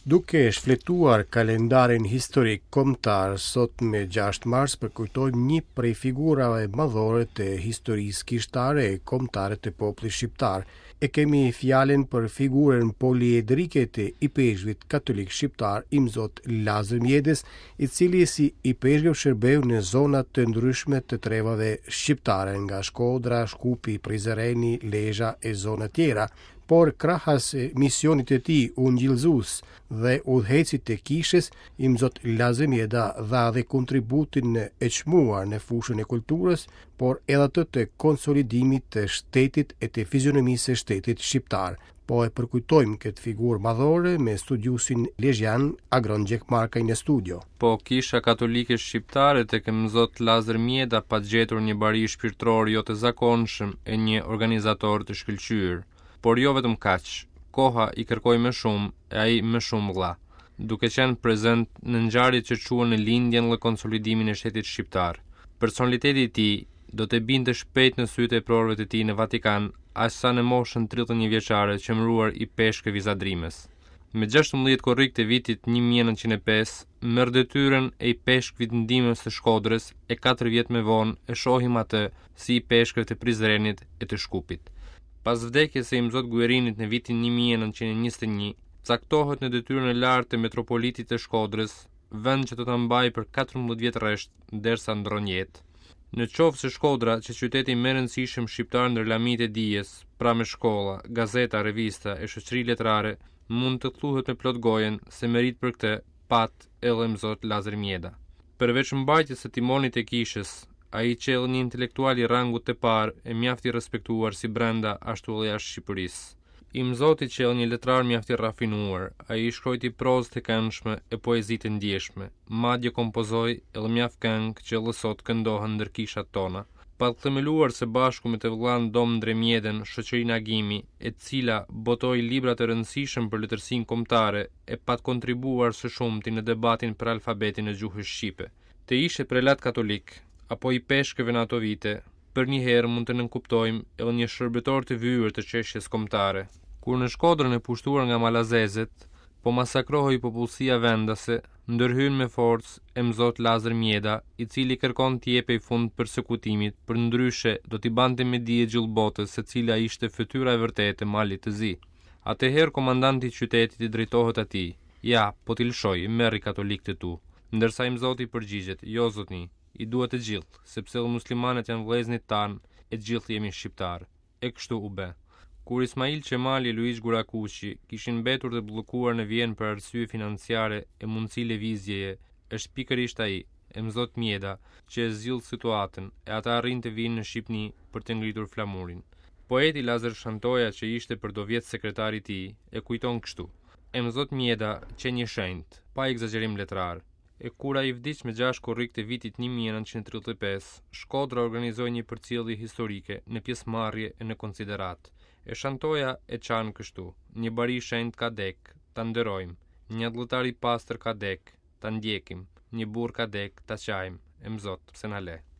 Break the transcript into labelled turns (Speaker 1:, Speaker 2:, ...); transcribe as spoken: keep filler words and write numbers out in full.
Speaker 1: Duke shfletuar kalendarin historik kombëtar, sot me gjashtë mars përkujtojmë një prej figurave madhore të historisë kishtare e kombëtare të popullit shqiptar. E kemi fjalën për figurën poliedrike të ipeshkvit katolik shqiptar Imzot Lazër Mjedës, i cili si ipeshkëv shërbeu në zona të ndryshme të trevave shqiptare, nga Shkodra, Shkupi, Prizreni, Lezha e zona tjera. Por krahas misionit të tij ungjillëzues dhe udhëheqësit të kishës, Imzot Lazër Mjeda dha dhe kontributin e çmuar në fushën e kulturës, por edhe atë të konsolidimit të shtetit e të fizionomisë së shtetit shqiptar. Po e përkujtojmë këtë figurë madhore me studiusin lezhjan Agron Gjekmarkaj në studio.
Speaker 2: Po kisha katolike shqiptare tek Imzot Lazër Mjeda pat gjetur një bari shpirtëror jo të zakonshëm e një organizator të shkëlqyer. Por jo vetëm kaq, koha i kërkoi më shumë e ai më shumë dha, duke qenë prezent në ngjarjet që çuan në lindjen dhe konsolidimin e shtetit shqiptar. Personaliteti i tij do të binte shpejt në sytë e prorëve të tij në Vatikan, aq sa në moshën tridhjetë e një vjeçare që emëruar i peshkëv i Zadrimës. Me gjashtëmbëdhjetë korrik të vitit një mijë e nëntëqind e pesë, merr detyrën e i peshkvit ndihmës të Shkodrës e katër vjet më vonë e shohim atë si i peshkëv të Prizrenit e të Shkupit. Pas vdekjes së Imzot Guerinit në vitin një mijë e nëntëqind e njëzet e një, caktohet në detyrën e lartë të metropolitit të Shkodrës, vend që do ta mbajë për katërmbëdhjetë vjet rresht derisa ndron jetë. Në qoftë se Shkodra, që qyteti më i rëndësishëm shqiptar ndër lamitë e dijes, pra me shkolla, gazeta, revista e shoqëri letrare, mund të thuhet me plot gojën se merit për këtë pat edhe Imzot Lazër Mjeda. Përveç mbajtjes së timonit e kishës, ai qe edhe një intelektual i rangut të parë e mjaft i respektuar si brenda ashtu edhe jashtë Shqipërisë. Imzoti qe edhe një letrar mjaft i rafinuar, ai shkruajti prozë të këndshme e poezi të ndjeshme, madje kompozoi edhe mjaft këngë që edhe sot këndohen ndër kishat tona. Pat themeluar së bashku me të vëllan Dom Ndre Mjedën shoqërinë Agimi, e cila botoi libra të rëndësishëm për letërsinë kombëtare e pat kontribuar së shumti në debatin për alfabetin e gjuhës shqipe. Të ishe prelat katolik apo i peshkëve në ato vite, për një herë mund të nënkuptojmë edhe një shërbëtor të vyer të çështjes kombëtare. Kur në Shkodrën e pushtuar nga malazezët, po masakrohej popullsia vendase, ndërhyn me forcë Imzot Lazër Mjeda, i cili kërkon t'i jepej fund persekutimit, për ndryshe do t'i bante me dije gjithë botës se cila ishte fytyra e vërtetë e Malit të Zi. Atëherë komandanti i qytetit i drejtohet atij: "Ja, po t'i lëshoj, merri katolikët tu." Ndërsa Imzoti përgjigjet: "Jo zotni, i dua të gjithë, sepse edhe muslimanët janë vëllezërit tanë e të gjithë jemi shqiptar." E kështu u bë. Kur Ismail Qemali e Luigj Gurakuqi kishin mbetur të bllokuar në Vjenë për arsye financiare e mundësi lëvizjeje, është pikërisht ai, Imzot Mjeda, që e zgjidh situatën e ata arrin të vinë në Shqipëni për të ngritur flamurin. Poeti Lazër Shantoja, që ishte për do vjet sekretari i tij, e kujton kështu: Imzot Mjeda qe një shenjt, pa egzagerim letrar. E kur ai vdiq me gjashtë korrik të vitit një mijë e nëntëqind e tridhjetë e pesë, Shkodra organizoi një përcjellje historike në pjesëmarrje e në konsiderat. E Shantoja e qan kështu: një bari shenjt ka dek, ta nderojmë, një atdhetar i pastër ka dek, ta ndjekim, një burr ka dek, ta qajmë, Imzot, pse na le.